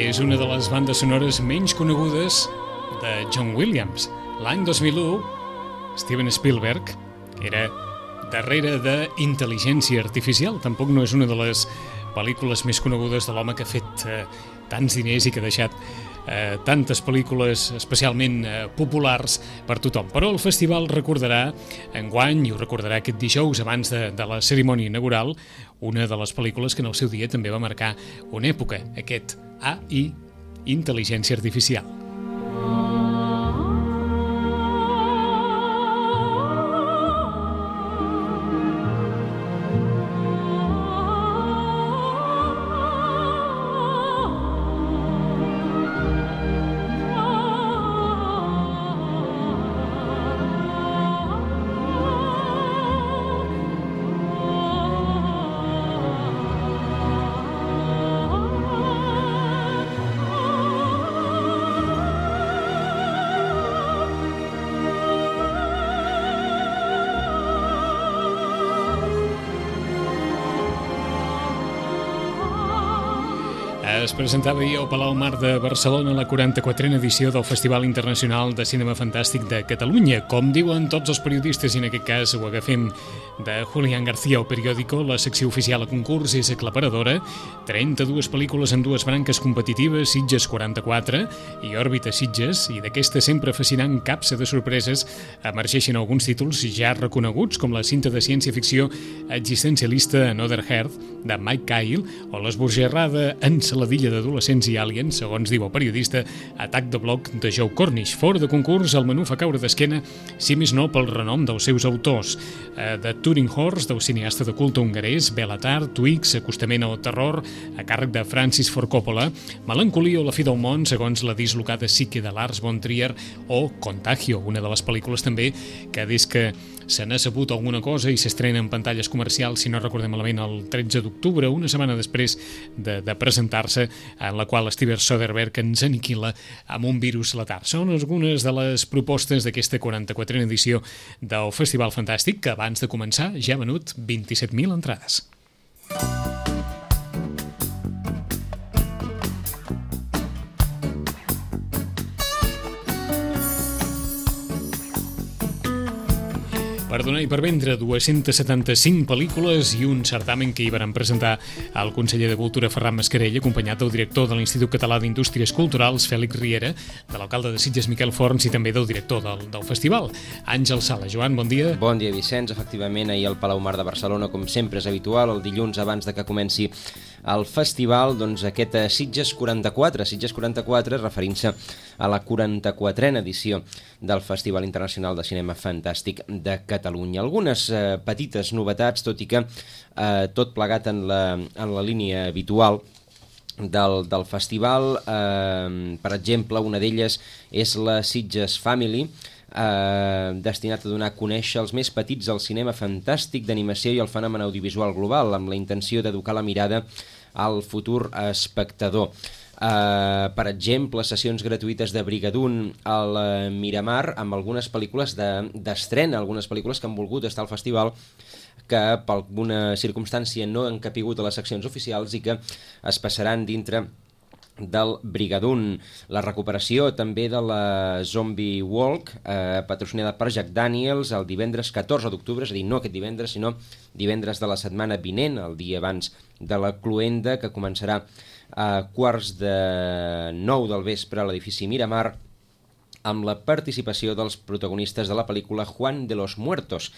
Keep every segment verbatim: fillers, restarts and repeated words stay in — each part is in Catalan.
és una de les bandes sonores menys conegudes de John Williams. L'any dos mil u, Steven Spielberg era darrere de Intel·ligència Artificial. Tampoc no és una de les pel·lícules més conegudes de l'home que ha fet eh, tants diners i que ha deixat eh, tantes pel·lícules especialment eh, populars per tothom. Però el festival recordarà enguany, i ho recordarà aquest dijous abans de, de la cerimònia inaugural, una de les pel·lícules que en el seu dia també va marcar una època, aquest A I, Intel·ligència Artificial. Es presentava ahir al Palau Mar de Barcelona la quaranta-quatrena edició del Festival Internacional de Cinema Fantàstic de Catalunya. Com diuen tots els periodistes, i en aquest cas ho agafem de Julián García o Periódico, la secció oficial a concurs és aclaparadora. trenta-dues pel·lícules en dues branques competitives, Sitges quaranta-quatre i Òrbita Sitges, i d'aquesta sempre fascinant capsa de sorpreses emergeixen alguns títols ja reconeguts, com la cinta de ciència-ficció existencialista Another Earth, de Mike Cahill, o l'esbojarrada ensaladilla d'adolescents i aliens, segons diu el periodista, Atac de bloc de Joe Cornish. Fora de concurs, el menú fa caure d'esquena, si més no pel renom dels seus autors. Eh, de Turing Horse, del cineasta de culte hongarès, Belatar, Twix, acostament al terror, a càrrec de Francis Ford Coppola, Melancolia o la fi del món, segons la dislocada psique de Lars von Trier, o Contagio, una de les pel·lícules també que des que se n'ha sabut alguna cosa i s'estrena en pantalles comercials, si no recordem malament, el tretze d'octubre, una setmana després de, de presentar-se, en la qual Steven Soderbergh ens aniquila amb un virus letal. Són algunes de les propostes d'aquesta quaranta-quatrena edició del Festival Fantàstic, que abans de començar ja ha venut vint-i-set mil entrades. Per donar i per vendre dues-centes setanta-cinc pel·lícules i un certamen que hi van presentar el conseller de Cultura Ferran Mascarell, acompanyat del director de l'Institut Català d'Indústries Culturals, Fèlix Riera, de l'alcalde de Sitges, Miquel Forns, i també del director del, del festival, Àngel Sala. Joan, bon dia. Bon dia, Vicenç. Efectivament, ahir al Palau Mar de Barcelona, com sempre és habitual, el dilluns abans de que comenci el festival, doncs aquest Sitges quaranta-quatre, Sitges quaranta-quatre, referint-se a la quaranta-quatrena edició del Festival Internacional de Cinema Fantàstic de Catalunya. Algunes eh, petites novetats, tot i que eh, tot plegat en la, en la línia habitual del, del festival. Eh, per exemple, una d'elles és la Sitges Family, eh, destinat a donar a conèixer els més petits al cinema fantàstic d'animació i el fenomen audiovisual global, amb la intenció d'educar la mirada al futur espectador. Uh, per exemple, sessions gratuïtes de Brigadoon al uh, Miramar, amb algunes pel·lícules d'estrena, de, algunes pel·lícules que han volgut estar al festival, que per alguna circumstància no han capigut a les seccions oficials i que es passaran dintre del Brigadoon. La recuperació també de la Zombie Walk, eh, patrocinada per Jack Daniels, el divendres catorze d'octubre, és a dir, no aquest divendres, sinó divendres de la setmana vinent, el dia abans de la Cluenda, que començarà a quarts de nou del vespre a l'edifici Miramar, amb la participació dels protagonistes de la pel·lícula Juan de los Muertos.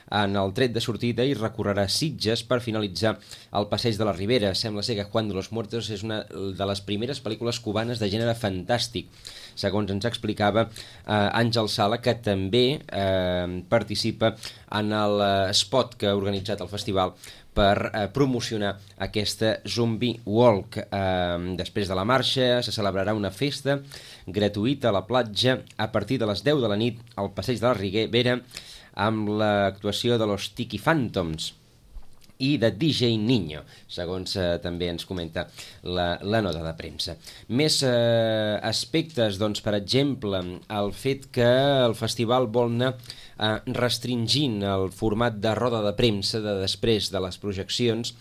En el tret de sortida i recorrerà Sitges per finalitzar el Passeig de la Ribera. Sembla ser que Juan de los Muertos és una de les primeres pel·lícules cubanes de gènere fantàstic, segons ens explicava eh, Àngel Sala, que també eh, participa en l'espot que ha organitzat el festival per eh, promocionar aquesta Zombie Walk. Eh, després de la marxa se celebrarà una festa gratuïta a la platja a partir de les deu de la nit al Passeig de la Ribera, amb l'actuació de los Tiki Phantoms. i de D J Niño, segons eh, també ens comenta la, la nota de premsa. Més eh, aspectes, doncs, per exemple, el fet que el festival vol anar eh, restringint el format de roda de premsa de després de les projeccions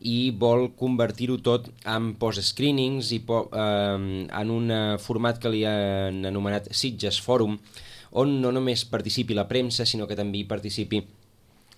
i vol convertir-ho tot en post-screenings i po eh, en un format que li han anomenat Sitges Fòrum, on no només participi la premsa, sinó que també hi participi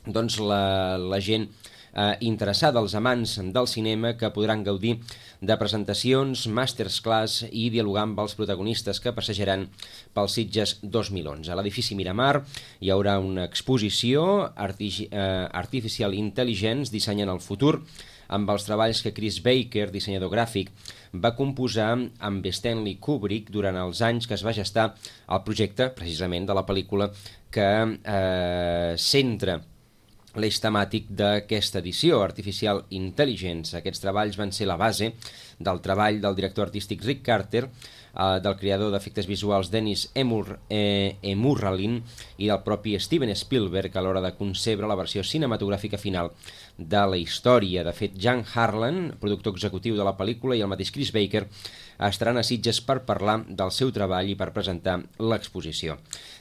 doncs, la, la gent eh, interessada, els amants del cinema, que podran gaudir de presentacions, masterclass i dialogar amb els protagonistes que passejaran pels Sitges dos mil onze. A l'edifici Miramar hi haurà una exposició Artifici eh, Artificial Intelligence dissenyant el futur, amb els treballs que Chris Baker, dissenyador gràfic, va composar amb Stanley Kubrick durant els anys que es va gestar el projecte, precisament, de la pel·lícula que eh, centra l'eix temàtic d'aquesta edició, Artificial Intelligence. Aquests treballs van ser la base del treball del director artístic Rick Carter, eh, del creador d'efectes visuals Dennis Emur, eh, Emurralin i del propi Steven Spielberg a l'hora de concebre la versió cinematogràfica final de la història. De fet, Jan Harlan, productor executiu de la pel·lícula, i el mateix Chris Baker estaran a Sitges per parlar del seu treball i per presentar l'exposició.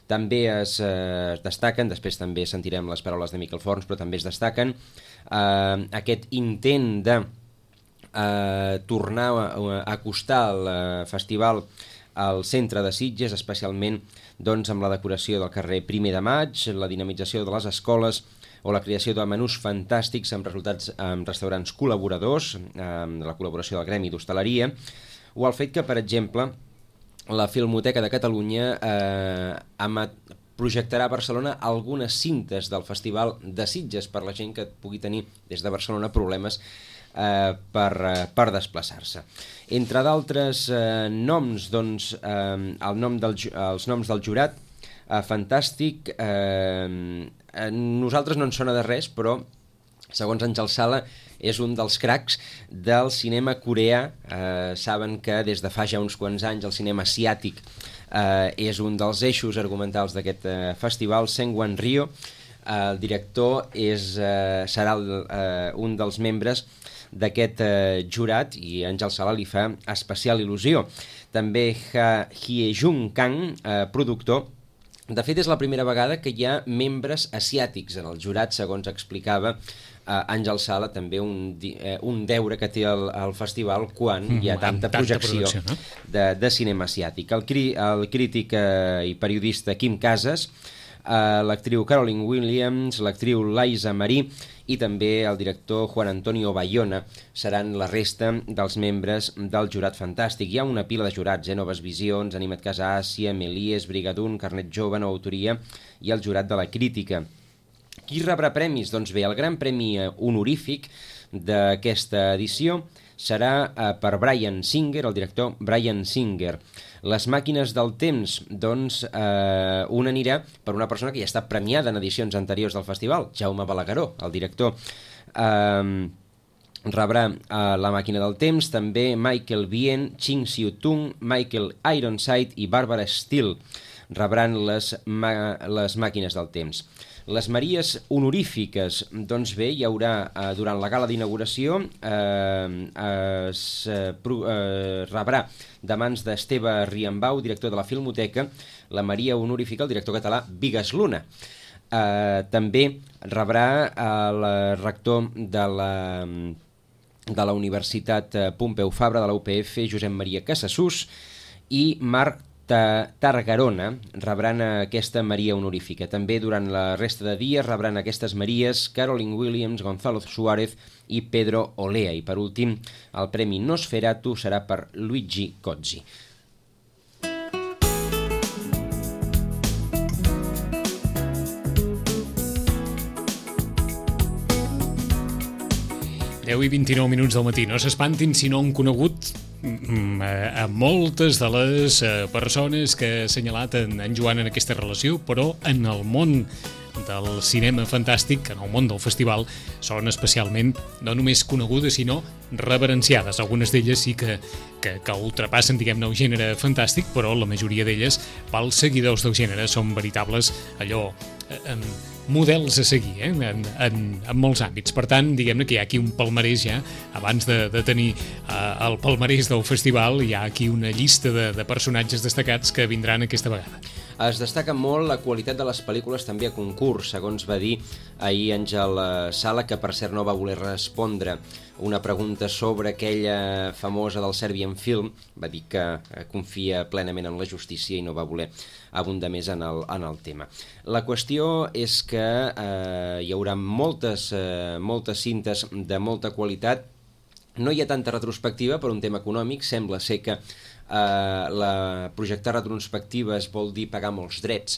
També es eh, destaquen, després també sentirem les paraules de Miquel Forns, però també es destaquen eh, aquest intent de eh, tornar a, a acostar el eh, festival al centre de Sitges, especialment doncs, amb la decoració del carrer Primer de Maig, la dinamització de les escoles o la creació de menús fantàstics amb resultats amb restaurants col·laboradors, amb la col·laboració del Gremi d'Hostaleria, o el fet que, per exemple, la Filmoteca de Catalunya eh, projectarà a Barcelona algunes cintes del Festival de Sitges per la gent que pugui tenir des de Barcelona problemes eh, per, eh, per desplaçar-se. Entre d'altres eh, noms, doncs, eh, el nom del, els noms del jurat, eh, fantàstic, eh, a nosaltres no ens sona de res, però segons Àngel Sala és un dels cracs del cinema coreà. Eh, saben que des de fa ja uns quants anys el cinema asiàtic eh, és un dels eixos argumentals d'aquest eh, festival. Seung-Wan Ryo, eh, el director, és, eh, serà el, eh, un dels membres d'aquest eh, jurat i Àngel Sala li fa especial il·lusió. També Ha Hye-jung Kang, eh, productor. De fet, és la primera vegada que hi ha membres asiàtics en el jurat, segons explicava uh, Àngel Sala, també un, uh, un deure que té el, el festival quan mm, hi ha tanta, tanta projecció, projecció no? de, de cinema asiàtic. El, cri, el crític uh, i periodista Quim Casas, uh, l'actriu Caroline Williams, l'actriu Liza Marie i també el director Juan Antonio Bayona seran la resta dels membres del jurat fantàstic. Hi ha una pila de jurats, eh? Noves Visions, Anima't Casa Àsia, Melies, Brigadun, Carnet Jove, Nova Autoria i el jurat de la crítica. Qui rebrà premis? Doncs bé, el gran premi honorífic d'aquesta edició serà eh, per Bryan Singer, el director Bryan Singer. Les màquines del temps, doncs, eh, una anirà per una persona que ja està premiada en edicions anteriors del festival, Jaume Balagueró, el director. Eh, rebrà eh, la màquina del temps, també Michael Biehn, Ching Siu-tung, Michael Ironside i Barbara Steele rebran les, les màquines del temps. Les Maries honorífiques, doncs bé, hi haurà eh, durant la gala d'inauguració, eh, es eh, pro, eh, rebrà de mans d'Esteve Riambau, director de la Filmoteca, la Maria honorífica, el director català Vigas Luna. Eh, també rebrà el rector de la, de la Universitat Pompeu Fabra de la U P F, Josep Maria Casassús, i Marc Targarona rebran aquesta Maria honorífica. També durant la resta de dies rebran aquestes Maries Caroline Williams, Gonzalo Suárez i Pedro Olea. I per últim, el Premi Nosferatu serà per Luigi Cozzi. deu i vint-i-nou minuts del matí. No s'espantin si no han conegut a moltes de les persones que ha assenyalat en, en Joan en aquesta relació, però en el món del cinema fantàstic, en el món del festival, són especialment no només conegudes, sinó reverenciades. Algunes d'elles sí que, que, que ultrapassen, diguem-ne, el gènere fantàstic, però la majoria d'elles, pels seguidors del gènere, són veritables allò... Eh, eh, models a seguir eh? en, en, en molts àmbits. Per tant, diguem-ne que hi ha aquí un palmarès ja, abans de, de tenir uh, el palmarès del festival, hi ha aquí una llista de, de personatges destacats que vindran aquesta vegada. Es destaca molt la qualitat de les pel·lícules també a concurs, segons va dir ahir Àngel Sala, que per cert no va voler respondre una pregunta sobre aquella famosa del Serbian Film. Va dir que confia plenament en la justícia i no va voler abundar més en el, en el tema. La qüestió és que eh, hi haurà moltes, eh, moltes cintes de molta qualitat. No hi ha tanta retrospectiva per un tema econòmic, sembla ser que Uh, la projectar retrospectives vol dir pagar molts drets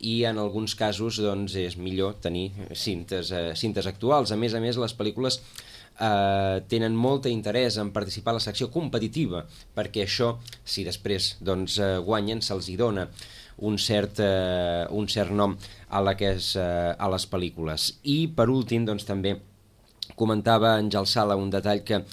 i en alguns casos doncs, és millor tenir cintes, uh, cintes actuals. A més a més, les pel·lícules uh, tenen molt interès en participar a la secció competitiva, perquè això, si després doncs, uh, guanyen, se'ls hi dona un cert, uh, un cert nom a, la que és, uh, a les pel·lícules. I per últim, doncs, també comentava Àngel Sala un detall que eh,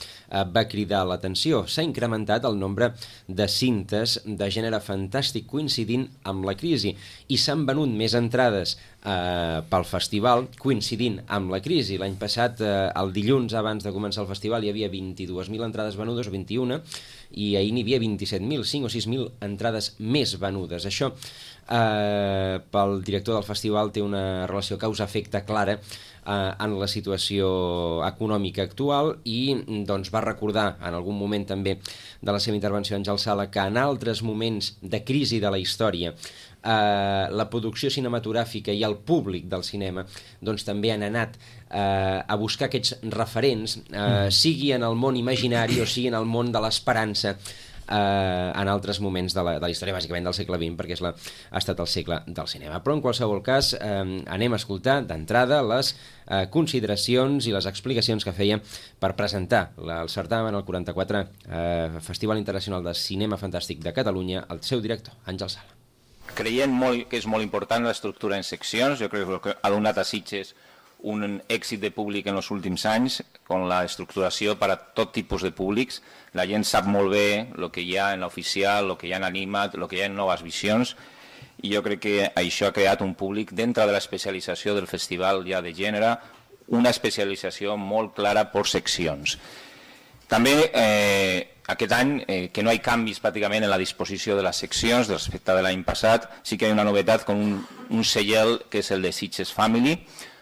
va cridar l'atenció. S'ha incrementat el nombre de cintes de gènere fantàstic coincidint amb la crisi i s'han venut més entrades eh, pel festival coincidint amb la crisi. L'any passat, eh, el dilluns abans de començar el festival, hi havia vint-i-dues mil entrades venudes o vint-i-una i ahir n'hi havia vint-i-set mil, cinc o sis mil entrades més venudes. Això eh, pel director del festival té una relació causa-efecte clara en la situació econòmica actual i doncs, va recordar en algun moment també de la seva intervenció Àngel Sala que en altres moments de crisi de la història eh, la producció cinematogràfica i el públic del cinema doncs, també han anat eh, a buscar aquests referents, eh, sigui en el món imaginari o sigui en el món de l'esperança Uh, en altres moments de la, de la història, bàsicament del segle vint, perquè és la, ha estat el segle del cinema. Però en qualsevol cas uh, anem a escoltar d'entrada les uh, consideracions i les explicacions que feia per presentar la, el certamen al quaranta-quatre uh, Festival Internacional de Cinema Fantàstic de Catalunya, el seu director, Àngel Sala. Creiem molt, que és molt important l'estructura en seccions. Jo crec que ha donat a Sitges un èxit de públic en els últims anys, amb l'estructuració per a tot tipus de públics. La gent sap molt bé el que hi ha en l'oficial, el que hi ha en animat, el que hi ha en noves visions, i jo crec que això ha creat un públic dintre de l'especialització del festival ja de gènere, una especialització molt clara per seccions. També eh, aquest any, eh, que no hi ha canvis pràcticament en la disposició de les seccions respecte de l'any passat, sí que hi ha una novetat com un, un sellel que és el de Sitges Family.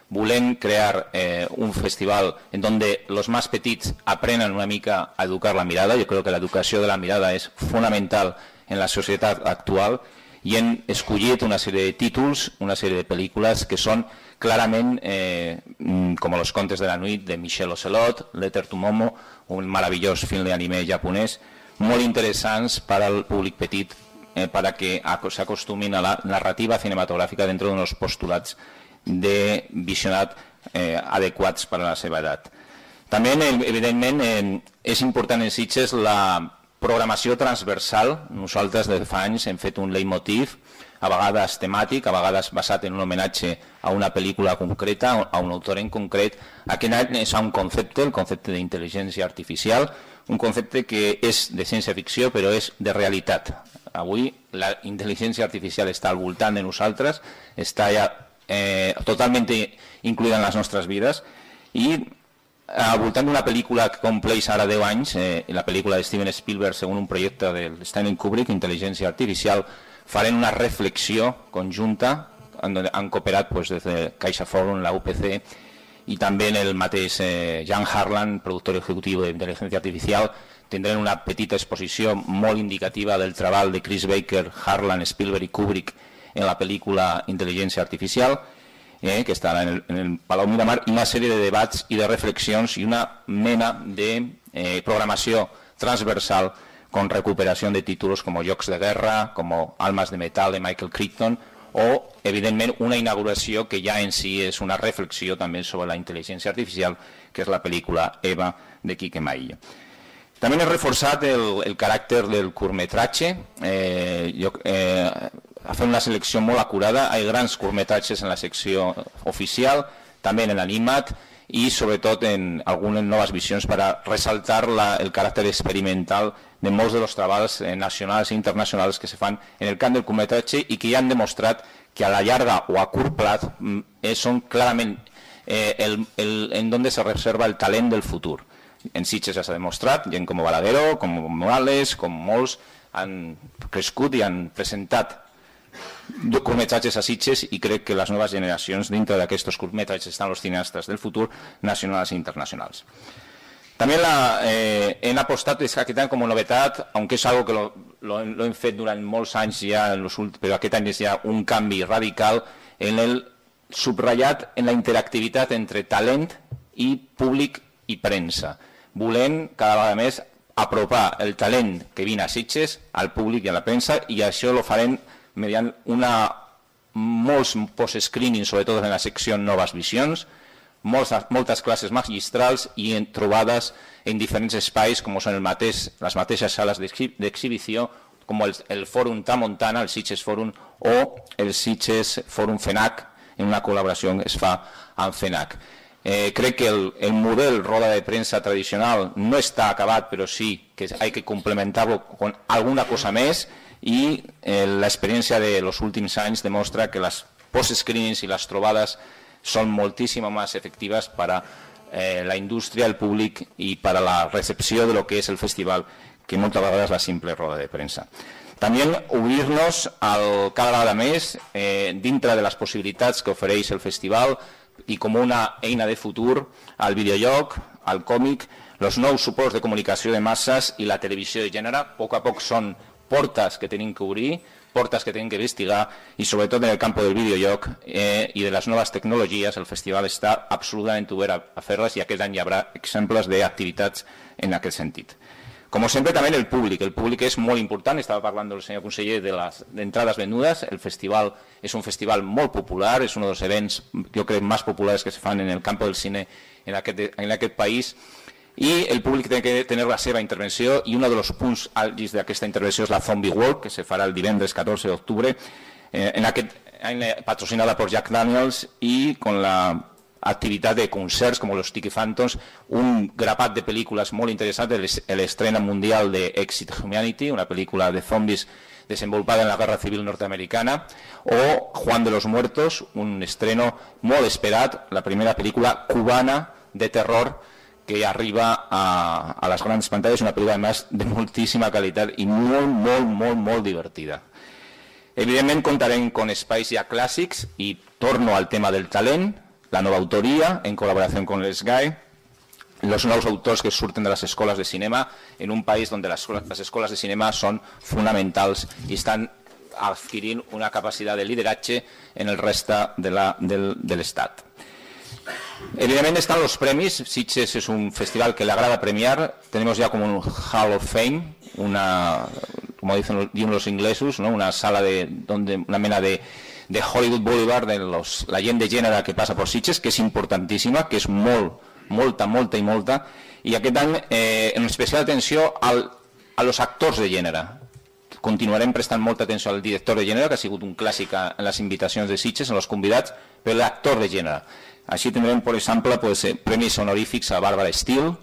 Volem crear eh, un festival en donde los más petits aprenen una mica a educar la mirada. Jo crec que l'educació de la mirada és fonamental en la societat actual i hem escollit una sèrie de títols, una sèrie de pel·lícules que són clarament eh, com Los contes de la nit de Michel Ocelot, Letter to Momo, un meravellós film d'anime japonès, molt interessants per al públic petit, eh, per a que s'acostumin a la narrativa cinematogràfica dintre d'uns postulats de visionat eh, adequats per a la seva edat. També, evidentment, eh, és important en Sitges la programació transversal. Nosaltres de fa anys hem fet un leitmotiv, a vegades temàtic, a vegades basat en un homenatge a una pel·lícula concreta, a un autor en concret. Aquest any és un concepte, el concepte d'intel·ligència artificial, un concepte que és de ciència-ficció però és de realitat. Avui la intel·ligència artificial està al voltant de nosaltres, està ja Eh, totalment incluïda en les nostres vides i al voltant d'una pel·lícula que compleix ara deu anys, eh, la pel·lícula de Steven Spielberg segons un projecte de Stanley Kubrick, Intel·ligència Artificial, farem una reflexió conjunta, han, han cooperat pues, des de Caixa Forum, la U P C i també el mateix eh, Jan Harlan, productor executiu d'Intel·ligència Artificial. Tindrem una petita exposició molt indicativa del treball de Chris Baker, Harlan, Spielberg i Kubrick en la pel·lícula Intel·ligència Artificial, eh, que estarà en el, en el Palau Miramar, i una sèrie de debats i de reflexions i una mena de eh, programació transversal con recuperació de títols com Jocs de Guerra, com Almas de Metal de Michael Crichton, o, evidentment, una inauguració que ja en si és una reflexió també sobre la intel·ligència artificial, que és la pel·lícula Eva de Quique Maillo. També hem reforçat el, el caràcter del curtmetratge. Eh, jo, eh, ha fet una selecció molt acurada. Hi ha grans curtmetratges en la secció oficial, també en l'animat i sobretot en algunes noves visions per a ressaltar la, el caràcter experimental de molts dels treballs eh, nacionals i internacionals que se fan en el camp del curtmetratge i que ja han demostrat que a la llarga o a curt plat eh, són clarament eh, el, el, en donde se reserva el talent del futur. En Sitges ja s'ha demostrat, gent com Balagueró, com Morales, com molts han crescut i han presentat curtmetratges a Sitges i crec que les noves generacions dintre d'aquests curtmetratges estan els cineastes del futur nacionals i internacionals. També la, eh, hem apostat aquest any com a novetat, aunque és algo que lo, lo, lo hem fet durant molts anys ja, en los últims, però aquest any és ja un canvi radical en el subratllat en la interactivitat entre talent i públic i premsa. Volem cada vegada més apropar el talent que vine a Sitges al públic i a la premsa i això lo farem mediant una, molts post-screening, sobretot en la secció Noves Visions, moltes, moltes classes magistrals i en trobades en diferents espais com són el mateix, les mateixes sales d'exhibició com el, el Fòrum Tramuntana, el Sitges Fòrum o el Sitges Fòrum FENAC, en una col·laboració que es fa amb FENAC. Eh, crec que el, el model roda de premsa tradicional no està acabat, però sí que hay que complementar-lo con alguna cosa més i eh, l'experiència de los últims anys demostra que les post-screenings i les trobades són moltíssim més efectives per a eh, la indústria, el públic i per a la recepció de lo que és el festival, que moltes vegades la simple roda de premsa. També obrir-nos al, cada vegada més eh, dintre de les possibilitats que ofereix el festival i com una eina de futur al videojoc, al còmic, els nous suports de comunicació de masses i la televisió de gènere. A poc a poc són portes que tenim que obrir, portes que tenim que investigar i sobretot en el camp del videojoc eh, i de les noves tecnologies el festival està absolutament obert a, a fer-les i aquest any hi haurà exemples d'activitats en aquest sentit. Com sempre, també el públic. El públic és molt important. Estava parlant el senyor conseller de les entrades venudes. El festival és un festival molt popular, és un dels events, jo crec, més populars que se fan en el camp del cine en aquest, en aquest país. I el públic té que tenir la seva intervenció i un dels punts àlgids d'aquesta intervenció és la Zombie Walk, que se farà el divendres catorze d'octubre, eh, en aquest any patrocinada per Jack Daniels i con la activitat de concerts com los Tiki Phantoms, un grapat de pel·lícules molt interessants, l'estrena mundial de Exit Humanity, una pel·lícula de zombis desenvolupada en la Guerra Civil Norteamericana, o Juan de los Muertos, un estreno molt esperat, la primera pel·lícula cubana de terror que arriba a, a les grans pantalles, una pel·lícula además de moltíssima qualitat i molt, molt, molt, molt divertida. Evidentment contarem con espais ja clàssics i torno al tema del talent, la nova autoria en col·laboració amb l'S G A E, els nous autors que surten de les escoles de cinema en un país on les, les escoles de cinema són fonamentals i estan adquirint una capacitat de lideratge en el reste de l'Estat. Evidentment estan els premis. Sitges és un festival que le agrada premiar. Tenemos ya como un Hall of Fame, una, como dicen los inglesos, ¿no? Una sala de donde una mena de de Hollywood Boulevard, de los, la gent de gènere que passa per Sitges, que és importantíssima, que és molt, molta, molta i molta, i aquest any eh, en especial atenció al, a los actors de gènere. Continuarem prestant molta atenció al director de gènere, que ha sigut un clàssic en les invitacions de Sitges, en els convidats, però l'actor de gènere. Així tindrem, per exemple, pues, premis honorífics a Barbara Steele,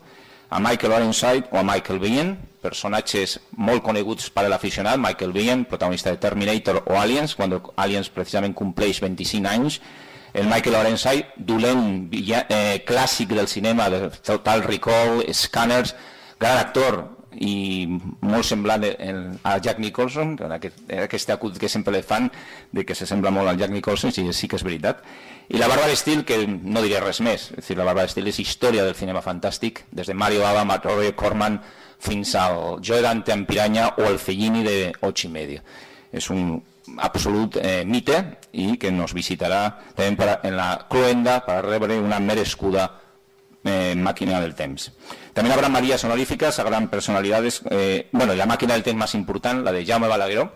a Michael Ironside o a Michael Biehn, personatges molt coneguts per a l'aficionat. Michael Biehn, protagonista de Terminator o Aliens, quan Aliens precisament compleix vint-i-cinc anys. El Michael Ironside, dolent eh, clàssic del cinema, de Total Recall, Scanners, gran actor i molt semblant a Jack Nicholson, aquest, aquest acut que sempre le fan de que se sembla molt al Jack Nicholson, i sí que és veritat. I la Barbara Steele, que no diré res més, és dir, la Barbara Steele és història del cinema fantàstic, des de Mario Bava, Matt Roy Corman, fins al Joe Dante en Piranya o el Fellini de Ocho y Medio. És un absolut eh, mite i que nos visitarà també per, en la cloenda per rebre una merescuda eh, màquina del temps. També habrá Marías honoríficas a gran personalidades. Eh, bueno, la màquina del temps més important, la de Jaume Balagueró,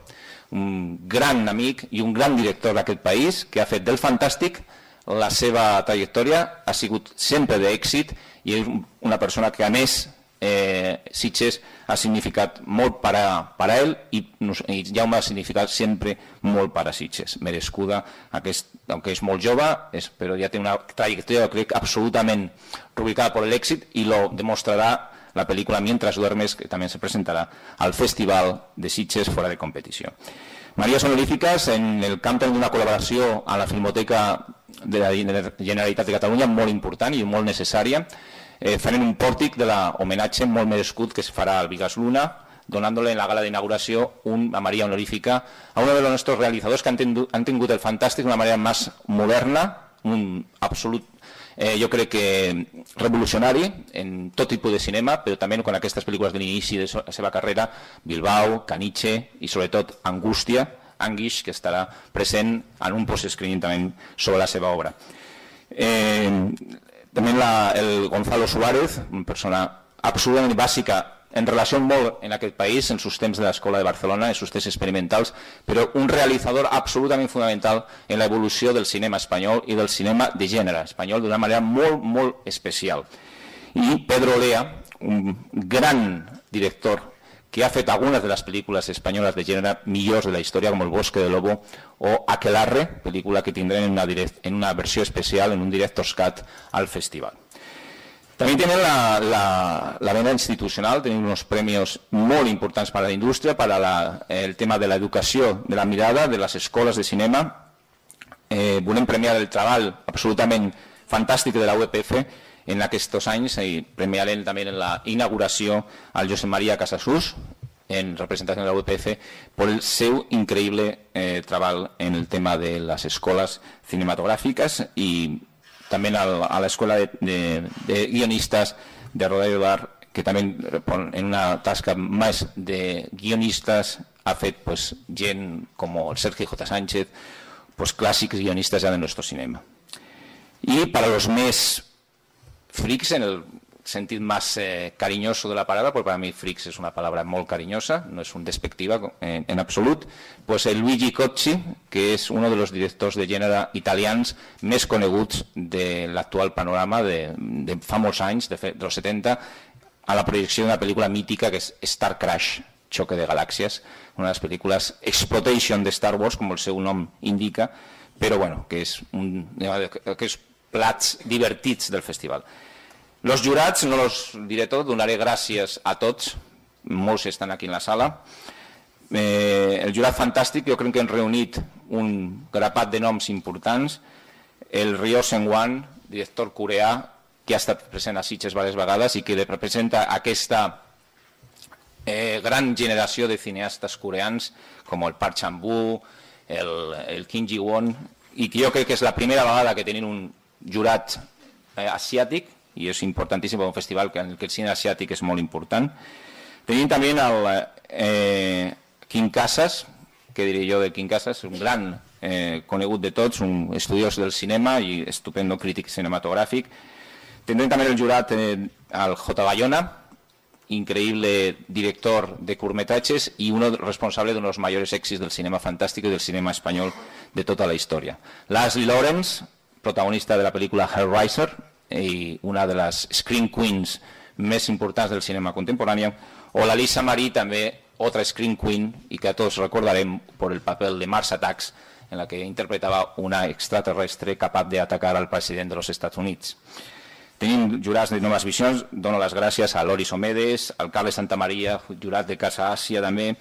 un gran amic i un gran director d'aquest país que ha fet del fantàstic la seva trajectòria, ha sigut sempre d'èxit i és una persona que a més eh, Sitges ha significat molt per a, per a ell i, i Jaume ha significat sempre molt per a Sitges. Merescuda, aquest, aunque és molt jove, és, però ja té una trajectòria, crec, absolutament rubricada per l'èxit i lo demostrarà la pel·lícula Mientras duermes, que també se presentarà al Festival de Sitges fora de competició. Maries honorífiques en el camp d'una col·laboració a la Filmoteca de la Generalitat de Catalunya molt important i molt necessària. Eh, farem un pòrtic de l'homenatge molt merescut que es farà al Vigas Luna, donándole en la gala d'inauguració una María honorífica a uno de los nuestros realizadores que han, tendu, han tingut el fantàstic d'una manera més moderna, un absolut, eh, jo crec que revolucionari en tot tipus de cinema, però també con aquestes pel·lícules de l'inici de la seva carrera, Bilbao, Caniche i sobretot Angústia, Anguish, que estarà present en un post-screening també sobre la seva obra. Eh, també la, el Gonzalo Suárez, una persona absolutament bàsica en relació molt en aquest país, en sus temps de l'escola de Barcelona, en sus temps experimentals, però un realitzador absolutament fonamental en la evolució del cinema espanyol i del cinema de gènere espanyol d'una manera molt, molt especial. I Pedro Olea, un gran director que ha fet algunes de les pel·lícules espanyoles de gènere millors de la història, com El Bosque de Lobo o Aquelarre, pel·lícula que tindrem en una, direct, en una versió especial, en un Director's Cut al festival. También tienen la, la, la vena institucional, tienen unos premios molt importants para la indústria, para la, el tema de l'educació de la mirada, de les escoles de cinema. Eh, volem premiar el treball absolutament fantàstic de la U E P F en aquests anys i premiarem també en la inauguració al Josep María Casasus, en representació de la U E P F, por el seu increïble eh, treball en el tema de les escoles cinematogràfiques i también a la Escuela de, de, de Guionistas de Rodallo Bar, que también en una tasca más de guionistas ha fet pues, gent como Sergio J. Sánchez, pues, clásicos guionistas ya de nuestro cinema. Y para los més freaks, en el sentido más eh, cariñoso de la palabra, porque para mí freaks es una palabra muy cariñosa, no es un despectiva en, en absolut, pues el Luigi Cocci, que es uno de los directors de gènere italians més coneguts de l'actual panorama de, de fa molts anys, de, de los setenta, a la projecció d'una pel·lícula mítica que és Star Crash, Choque de Galàxies, una de les pel·lícules Exploitation de Star Wars, com el seu nom indica, però bueno, que és un, que és plats divertits del festival. Los jurats, no los diré tot, donaré gràcies a tots, molts estan aquí en la sala. Eh, el jurat fantàstic, jo crec que hem reunit un grapat de noms importants. El Ryo Seung-wan, director coreà, que ha estat present a Sitges diverses vegades i que representa aquesta eh, gran generació de cineastes coreans, com el Park Chan-wook, el, el Kim Ji-won, i que jo crec que és la primera vegada que tenim un jurat eh, asiàtic, i és importantíssim per un festival en què el cine asiàtic és molt important. Tenim també el eh, Quim Casas, què diré jo de Quim Casas, un gran eh, conegut de tots, un estudiós del cinema i estupendo crític cinematogràfic. Tindrem també el jurat eh, al J. Bayona, increïble director de curtmetratges i un responsable d'uns dels majors èxits del cinema fantàstic i del cinema espanyol de tota la història. Leslie Lawrence, protagonista de la pel·lícula Hellraiser, i una de les screen queens més importants del cinema contemporani, o la Lisa Marie, també otra screen queen, i que tots recordarem per el paper de Mars Attacks, en la que interpretava una extraterrestre capaç d'atacar al president dels Estats Units. Tenim jurats de Noves Visions, dono les gràcies a Loris Omedes, al Carles Santamaria, jurat de Casa Àsia també,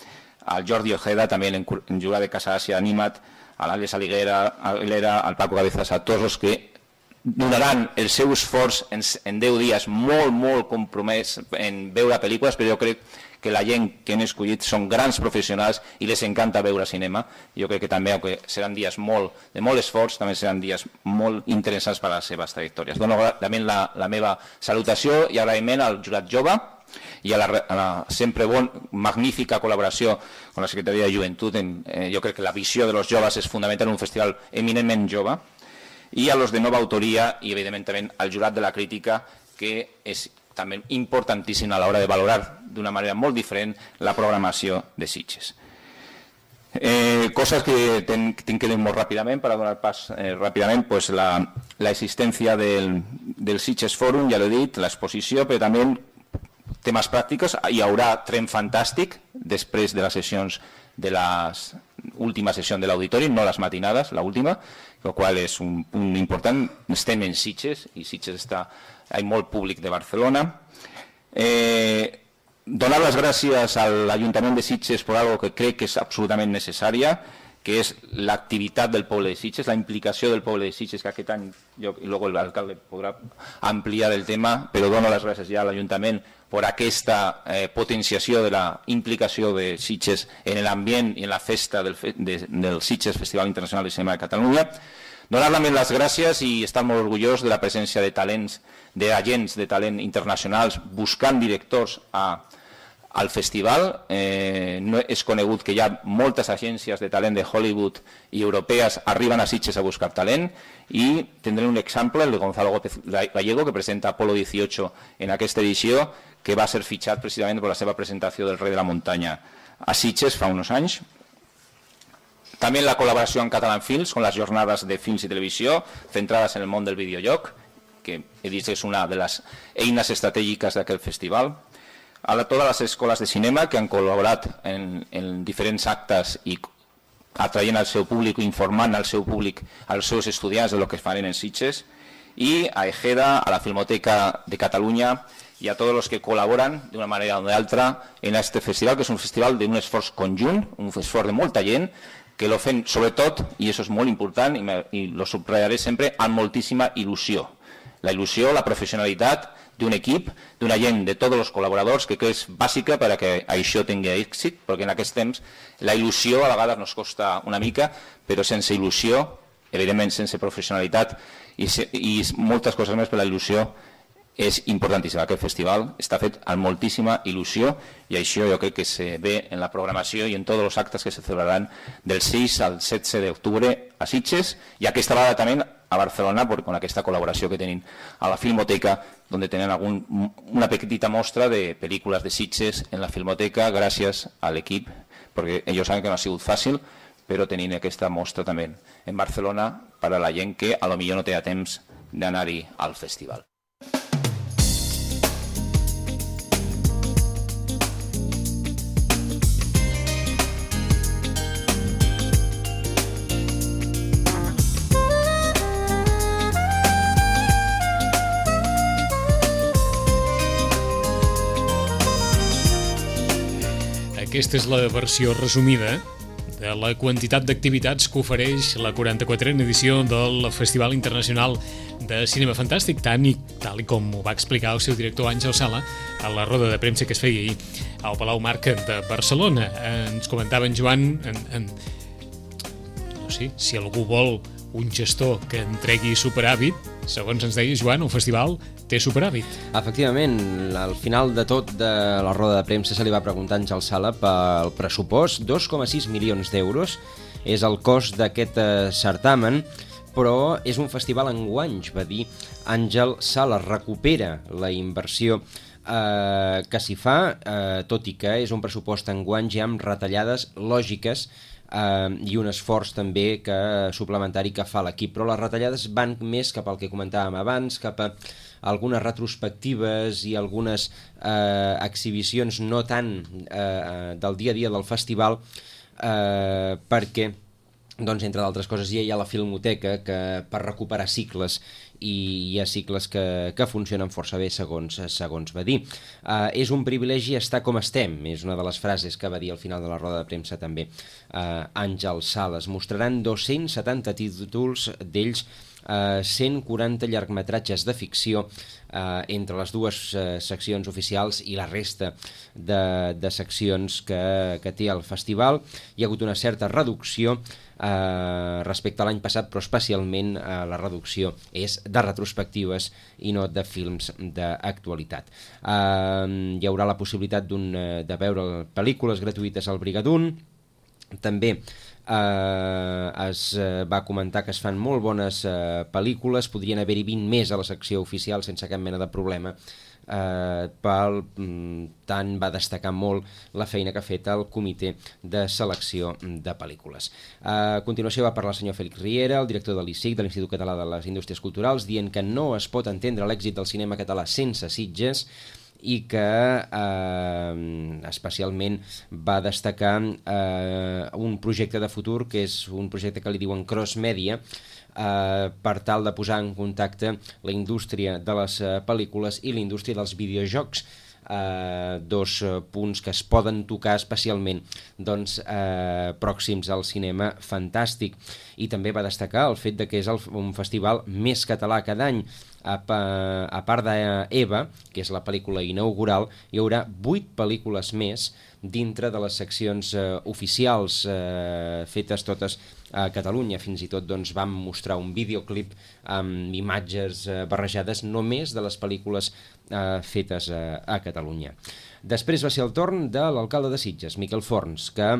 al Jordi Ojeda, també en jurat de Casa Àsia Animat, a l'Àlex Aliguera, al Paco Cabezas, a tots els que donaran el seu esforç en, en deu dies molt, molt compromès en veure pel·lícules, però jo crec que la gent que hem escollit són grans professionals i les encanta veure cinema. Jo crec que també, que seran dies molt, de molt esforç, també seran dies molt interessants per a les seves trajectòries. Dono també la, la meva salutació i agraïment al jurat jove i a la, a la sempre bon, magnífica col·laboració amb la Secretaria de Joventut. Eh, jo crec que la visió de los joves és fonamental en un festival eminentment jove, i a los de nova autoria i evidentment també al jurat de la crítica, que és també importantíssim a l'hora de valorar d'una manera molt diferent la programació de Sitges. Eh, cosas que tinc que dir molt ràpidament per a donar pas eh, ràpidament, pues la, la existència del, del Sitges Forum, ja l'he dit, l'exposició, però també temes pràctics. Hi haurà tren fantàstic després de les sessions de la última sessió de l'auditori, no les matinades, l'última, el qual és un punt important. Estem en Sitges i Sitges està, hi ha molt públic de Barcelona. Eh, donar les gràcies a l'Ajuntament de Sitges per algo que crec que és absolutament necessària, que és l'activitat del poble de Sitges, la implicació del poble de Sitges, que aquest any, jo, i luego l'alcalde podrà ampliar el tema, però dono les gràcies ja a l'Ajuntament per aquesta eh, potenciació de la implicació de Sitges en l'ambient i en la festa del, fe, de, del Sitges Festival Internacional de Cinema de Catalunya. Donar també les gràcies i estar molt orgullós de la presència de talents, d'agents de talent internacionals buscant directors a, al festival. Eh, no és conegut que hi ha moltes agències de talent de Hollywood i europees arriben a Sitges a buscar talent i tindré un exemple, el de Gonzalo Gómez Gallego, que presenta Apolo dieciocho en aquesta edició, que va ser fitxat precisament per la seva presentació del Rei de la Muntanya a Sitges fa uns anys. També la col·laboració amb Catalan Films, con les jornades de films i televisió centrades en el món del videojoc, que he dit és una de les eines estratègiques d'aquest festival. A la, totes les escoles de cinema que han col·laborat en, en diferents actes i atraient al seu públic, informant al seu públic, als seus estudiants de lo que faran en Sitges. I a Ejeda, a la Filmoteca de Catalunya i a tots els que col·laboren d'una manera o d'altra en aquest festival, que és un festival d'un esforç conjunt, un esforç de molta gent, que lo fem sobretot, i això és molt important, i, me, i lo subratllaré sempre, amb moltíssima il·lusió. La il·lusió, la professionalitat d'un equip, d'una gent, de tots els col·laboradors, que és bàsica perquè això tingui èxit, perquè en aquests temps la il·lusió a vegades nos costa una mica, però sense il·lusió, evidentment sense professionalitat i, i moltes coses més, per la il·lusió és importantíssim. Aquest festival està fet amb moltíssima il·lusió i això jo crec que se ve en la programació i en tots els actes que se celebraran del sis al setze d'octubre a Sitges i aquesta vegada també a Barcelona, amb aquesta col·laboració que tenim a la Filmoteca, on tenen algun, una petita mostra de pel·lícules de Sitges en la Filmoteca gràcies a l'equip, perquè ells saben que no ha sigut fàcil, però tenint aquesta mostra també en Barcelona per a la gent que a lo millor no té temps d'anar-hi al festival. Aquesta és la versió resumida de la quantitat d'activitats que ofereix la quaranta-quatrena edició del Festival Internacional de Cinema Fantàstic, tant i tal i com ho va explicar el seu director Àngel Sala a la roda de premsa que es feia ahir al Palau Marc de Barcelona. Ens comentava en Joan, en, en, no sé, si algú vol un gestor que entregui superàvit, segons ens deia Joan, el festival té superàvit. Efectivament, al final de tot de la roda de premsa se li va preguntar a Àngel Sala pel pressupost. dos coma sis milions d'euros és el cost d'aquest eh, certamen, però és un festival enguanys, va dir Àngel Sala. Recupera la inversió eh, que s'hi fa, eh, tot i que és un pressupost enguanys ja amb retallades lògiques Uh, i un esforç també que, suplementari que fa l'equip, però les retallades van més cap al que comentàvem abans, cap a algunes retrospectives i algunes uh, exhibicions no tant uh, del dia a dia del festival, uh, perquè doncs, entre d'altres coses, ja hi ha la Filmoteca que per recuperar cicles i hi ha cicles que, que funcionen força bé, segons, segons va dir. Uh, és un privilegi estar com estem, és una de les frases que va dir al final de la roda de premsa també uh, Àngel Sales. Mostraran dos-cents setanta títols, d'ells uh, cent quaranta llargmetratges de ficció uh, entre les dues uh, seccions oficials i la resta de, de seccions que, que té el festival. Hi ha hagut una certa reducció Uh, respecte a l'any passat, però especialment uh, la reducció és de retrospectives i no de films d'actualitat. Uh, hi haurà la possibilitat d'un, uh, de veure pel·lícules gratuïtes al Brigadoon. També uh, es uh, va comentar que es fan molt bones uh, pel·lícules, podrien haver-hi vint més a la secció oficial sense cap mena de problema. Uh, pel, um, tant va destacar molt la feina que ha fet el comitè de selecció de pel·lícules. Uh, a continuació va parlar el senyor Félix Riera, el director de l'I C I C, de l'Institut Català de les Indústries Culturals, dient que no es pot entendre l'èxit del cinema català sense Sitges i que eh, especialment va destacar eh, un projecte de futur que és un projecte que li diuen Cross Media, eh, per tal de posar en contacte la indústria de les eh, pel·lícules i la indústria dels videojocs. eh, dos punts que es poden tocar especialment doncs, eh, pròxims al cinema fantàstic. I també va destacar el fet de que és el, un festival més català cada any. A, a part d'Eva, que és la pel·lícula inaugural, hi haurà vuit pel·lícules més dintre de les seccions eh, oficials eh, fetes totes a Catalunya. Fins i tot doncs, vam mostrar un videoclip amb imatges eh, barrejades només de les pel·lícules eh, fetes a, a Catalunya. Després va ser el torn de l'alcalde de Sitges, Miquel Forns, que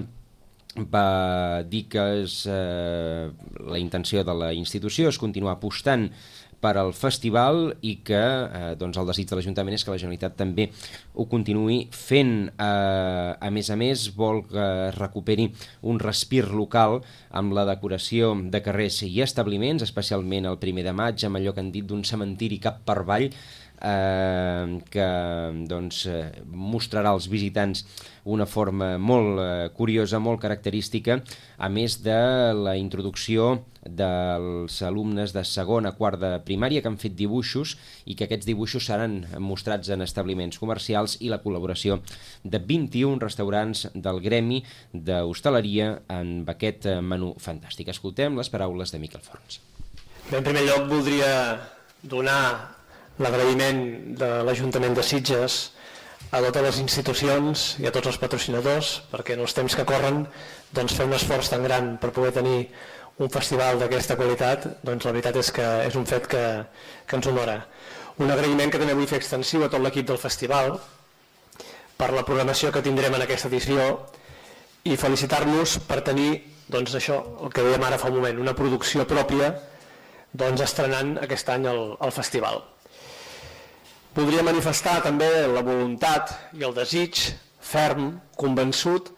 va dir que és, eh, la intenció de la institució és continuar apostant per al festival i que eh, doncs el desig de l'Ajuntament és que la Generalitat també ho continuï fent. Eh, a més a més, vol que es recuperi un respir local amb la decoració de carrers i establiments, especialment el primer de maig, amb allò que han dit d'un cementiri cap per avall, eh, que doncs, eh, mostrarà als visitants una forma molt eh, curiosa, molt característica, a més de la introducció dels alumnes de segon a quart de primària que han fet dibuixos i que aquests dibuixos seran mostrats en establiments comercials i la col·laboració de vint-i-un restaurants del gremi d'hostaleria amb aquest menú fantàstic. Escoltem les paraules de Miquel Forns. Bé, en primer lloc voldria donar l'agraïment de l'Ajuntament de Sitges a totes les institucions i a tots els patrocinadors, perquè en els temps que corren doncs, fer un esforç tan gran per poder tenir un festival d'aquesta qualitat, doncs la veritat és que és un fet que, que ens honora. Un agraïment que també vull fer extensiu a tot l'equip del festival per la programació que tindrem en aquesta edició i felicitar-nos per tenir, doncs això, el que dèiem ara fa un moment, una producció pròpia doncs, estrenant aquest any el, el festival. Voldria manifestar també la voluntat i el desig ferm, convençut,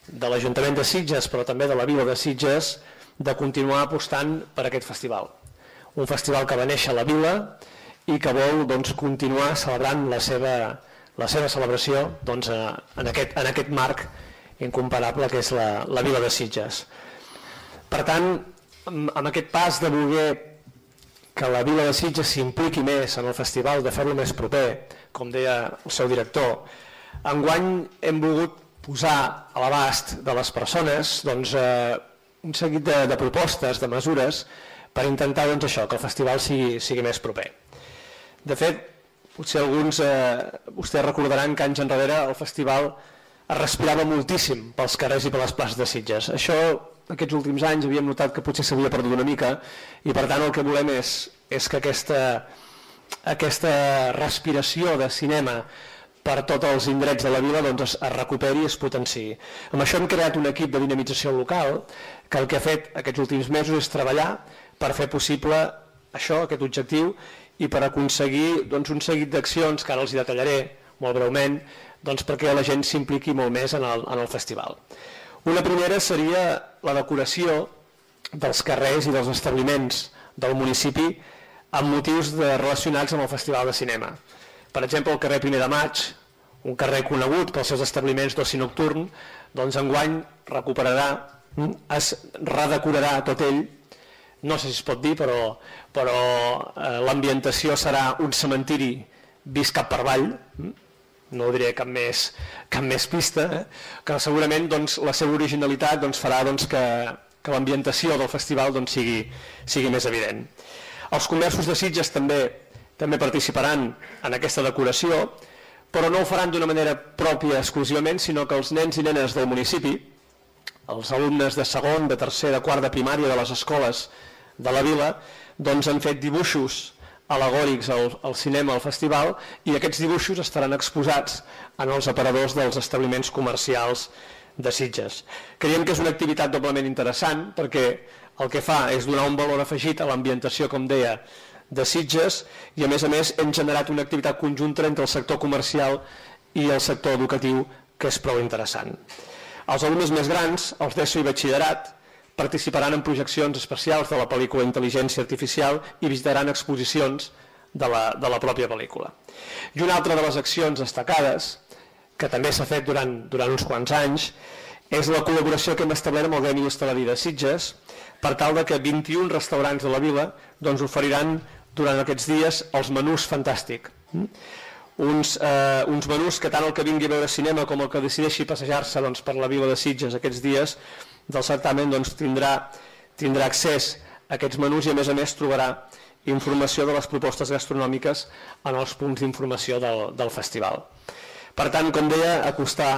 de l'Ajuntament de Sitges, però també de la Vila de Sitges, de continuar apostant per aquest festival. Un festival que va néixer a la Vila i que vol doncs, continuar celebrant la seva, la seva celebració doncs, en, aquest, en aquest marc incomparable que és la, la Vila de Sitges. Per tant, amb aquest pas de voler que la Vila de Sitges s'impliqui més en el festival, de fer-lo més proper, com deia el seu director, enguany hem volgut posar a l'abast de les persones doncs, eh, un seguit de, de propostes, de mesures, per intentar doncs, això, que el festival sigui, sigui més proper. De fet, potser alguns eh, vostès recordaran que anys enrere el festival es respirava moltíssim pels carrers i per les places de Sitges. Això, aquests últims anys, havíem notat que potser s'havia perdut una mica i per tant el que volem és, és que aquesta, aquesta respiració de cinema per tots els indrets de la vila doncs, es, es recuperi i es potenciï. Amb això hem creat un equip de dinamització local que el que ha fet aquests últims mesos és treballar per fer possible això, aquest objectiu, i per aconseguir doncs, un seguit d'accions que ara els hi detallaré molt breument, doncs, perquè la gent s'impliqui molt més en el, en el festival. Una primera seria la decoració dels carrers i dels establiments del municipi amb motius de, relacionats amb el Festival de Cinema. Per exemple, el carrer Primer de Maig, un carrer conegut pels seus establiments d'oci nocturn, doncs enguany recuperarà, es redecorarà tot ell, no sé si es pot dir, però, però eh, l'ambientació serà un cementiri vist cap per avall, no diré cap més, cap més pista, eh? que segurament doncs, la seva originalitat doncs, farà doncs, que, que l'ambientació del festival doncs, sigui, sigui més evident. Els comerços de Sitges també, també participaran en aquesta decoració, però no ho faran d'una manera pròpia exclusivament, sinó que els nens i nenes del municipi, els alumnes de segon, de tercer, de quart de primària de les escoles de la vila, doncs han fet dibuixos al·legòrics al, al cinema, al festival, i aquests dibuixos estaran exposats en els aparadors dels establiments comercials de Sitges. Creiem que és una activitat doblement interessant perquè el que fa és donar un valor afegit a l'ambientació, com deia, de Sitges, i a més a més hem generat una activitat conjunta entre el sector comercial i el sector educatiu que és prou interessant. Els alumnes més grans, els d'ESO i batxillerat, participaran en projeccions especials de la pel·lícula Intel·ligència Artificial i visitaran exposicions de la, de la pròpia pel·lícula. I una altra de les accions destacades, que també s'ha fet durant, durant uns quants anys, és la col·laboració que hem establert amb el Gremi d'Hostaleria de Sitges per tal de que vint-i-un restaurants de la vila doncs, oferiran durant aquests dies els menús fantàstics. uns, eh, uns menús que tant el que vingui a veure cinema com el que decideixi passejar-se doncs, per la vila de Sitges aquests dies del certamen doncs, tindrà, tindrà accés a aquests menús i a més a més trobarà informació de les propostes gastronòmiques en els punts d'informació del, del festival. Per tant, com deia, acostar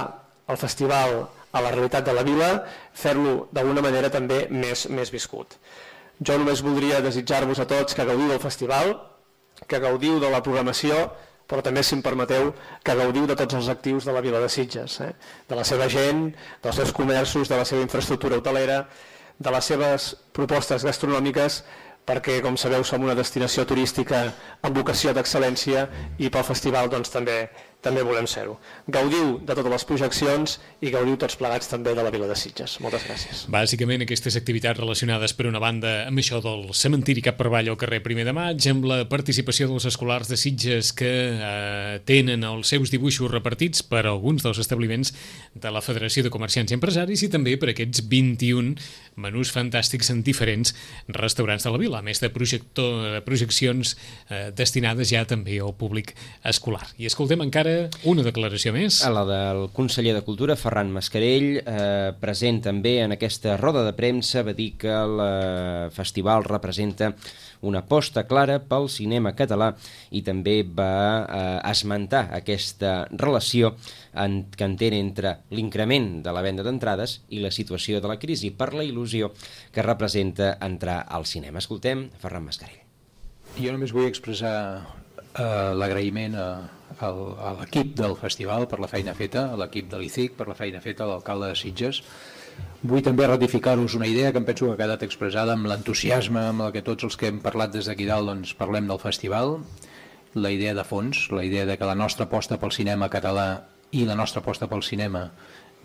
el festival a la realitat de la vila, fer-lo d'alguna manera també més, més viscut. Jo només voldria desitjar-vos a tots que gaudiu del festival, que gaudiu de la programació, però també, si em permeteu, que gaudiu de tots els actius de la vila de Sitges, eh? De la seva gent, dels seus comerços, de la seva infraestructura hotelera, de les seves propostes gastronòmiques, perquè, com sabeu, som una destinació turística amb vocació d'excel·lència i pel festival doncs, també, també volem ser-ho. Gaudiu de totes les projeccions i gaudiu tots plegats també de la vila de Sitges. Moltes gràcies. Bàsicament, aquestes activitats relacionades per una banda amb això del cementiri cap per avall al carrer primer de maig, amb la participació dels escolars de Sitges que eh, tenen els seus dibuixos repartits per alguns dels establiments de la Federació de Comerciants i Empresaris i també per aquests vint-i-un menús fantàstics en diferents restaurants de la vila, a més de projector, projeccions eh, destinades ja també al públic escolar. I escoltem encara una declaració més. A la del conseller de Cultura, Ferran Mascarell, eh, present també en aquesta roda de premsa, va dir que el eh, festival representa una aposta clara pel cinema català i també va eh, esmentar aquesta relació en, que entén entre l'increment de la venda d'entrades i la situació de la crisi per la il·lusió que representa entrar al cinema. Escoltem Ferran Mascarell. Jo només vull expressar eh, l'agraïment a, a, a l'equip del festival per la feina feta, a l'equip de l'I C I C per la feina feta, a l'alcalde de Sitges. Vull també ratificar-vos una idea que em penso que ha quedat expressada amb l'entusiasme amb el que tots els que hem parlat des d'aquí dalt doncs, parlem del festival, la idea de fons, la idea de que la nostra aposta pel cinema català i la nostra aposta pel cinema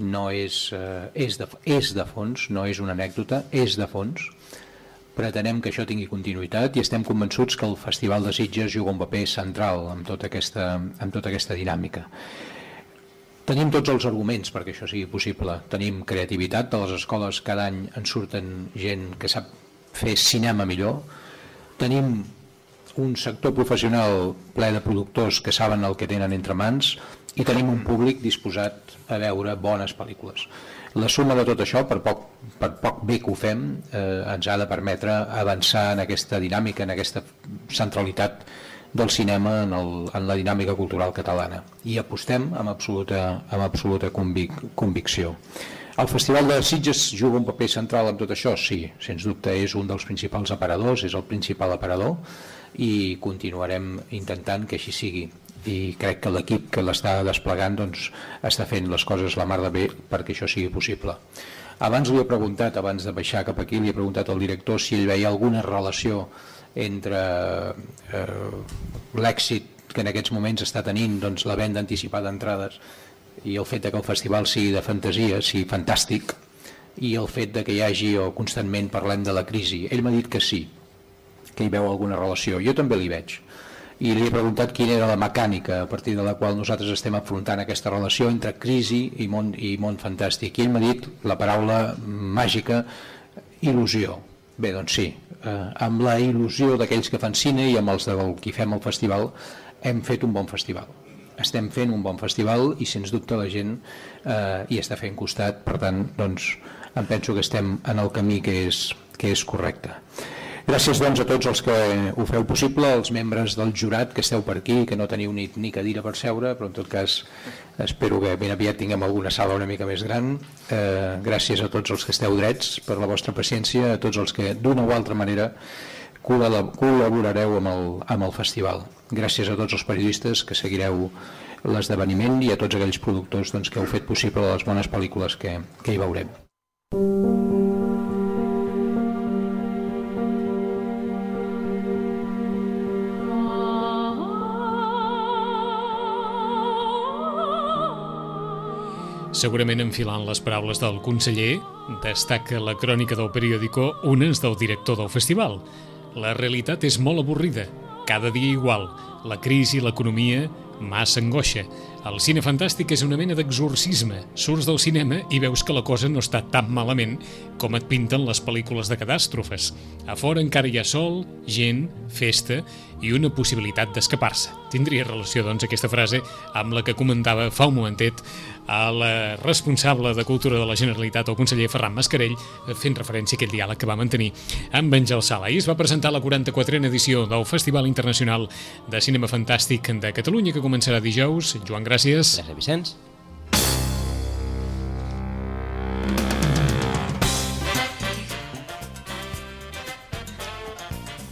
no és, eh, és, de, és de fons, no és una anècdota, és de fons. Pretenem que això tingui continuïtat i estem convençuts que el Festival de Sitges juga un paper central en tota aquesta, en tota aquesta dinàmica. Tenim tots els arguments perquè això sigui possible. Tenim creativitat, de les escoles cada any en surten gent que sap fer cinema millor. Tenim un sector professional ple de productors que saben el que tenen entre mans i tenim un públic disposat a veure bones pel·lícules. La suma de tot això, per poc, per poc bé que ho fem, eh, ens ha de permetre avançar en aquesta dinàmica, en aquesta centralitat del cinema en, el, en la dinàmica cultural catalana. I apostem amb absoluta, amb absoluta convic, convicció. El Festival de Sitges juga un paper central en tot això? Sí, sens dubte és un dels principals aparadors, és el principal aparador i continuarem intentant que així sigui. I crec que l'equip que l'està desplegant doncs, està fent les coses la mar de bé perquè això sigui possible. Abans li he preguntat, abans de baixar cap aquí, li he preguntat al director si ell veia alguna relació entre eh, l'èxit que en aquests moments està tenint doncs, la venda anticipada d'entrades i el fet de que el festival sigui de fantasia, sigui fantàstic, i el fet de que hi hagi o constantment parlem de la crisi. Ell m'ha dit que sí, que hi veu alguna relació. Jo també l'hi veig. I li he preguntat quina era la mecànica a partir de la qual nosaltres estem afrontant aquesta relació entre crisi i món, i món fantàstic. I ell m'ha dit la paraula màgica il·lusió. Bé, doncs sí, eh, amb la il·lusió d'aquells que fan cine i amb els de qui fem el festival hem fet un bon festival. Estem fent un bon festival i sens dubte la gent eh, hi està fent costat, per tant doncs, em penso que estem en el camí que és, que és correcte. Gràcies doncs a tots els que ho feu possible, els membres del jurat que esteu per aquí, que no teniu ni, ni cadira per seure, però en tot cas espero que ben aviat tinguem alguna sala una mica més gran. Eh, gràcies a tots els que esteu drets per la vostra paciència, a tots els que d'una o altra manera col·laborareu amb el, amb el festival. Gràcies a tots els periodistes que seguireu l'esdeveniment i a tots aquells productors doncs, que heu fet possible les bones pel·lícules que, que hi veurem. Segurament enfilant les paraules del conseller, destaca la crònica del periòdico unes del director del festival. La realitat és molt avorrida, cada dia igual. La crisi, l'economia, massa angoixa. El cine fantàstic és una mena d'exorcisme. Surts del cinema i veus que la cosa no està tan malament com et pinten les pel·lícules de catàstrofes. A fora encara hi ha sol, gent, festa i una possibilitat d'escapar-se. Tindria relació, doncs, aquesta frase amb la que comentava fa un momentet a la responsable de Cultura de la Generalitat, el conseller Ferran Mascarell, fent referència a aquell diàleg que va mantenir amb Àngel Sala. Ahir es va presentar la quaranta-quatrena edició del Festival Internacional de Cinema Fantàstic de Catalunya, que començarà dijous. Joan, gràcies. Gràcies, Vicenç.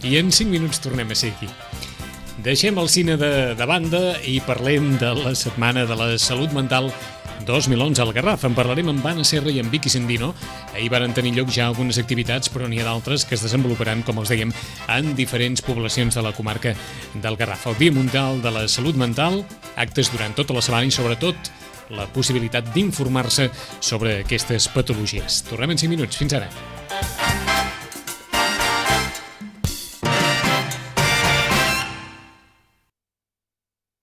I en cinc minuts tornem a ser aquí. Deixem el cine de, de banda i parlem de la Setmana de la Salut Mental dos mil onze al Garraf. En parlarem amb Anna Serra i amb Vicky Sendino. Ahir varen tenir lloc ja algunes activitats, però n'hi ha d'altres que es desenvoluparan, com els dèiem, en diferents poblacions de la comarca del Garraf. El Dia Mundial de la Salut Mental, actes durant tota la setmana i, sobretot, la possibilitat d'informar-se sobre aquestes patologies. Tornem en cinc minuts. Fins ara.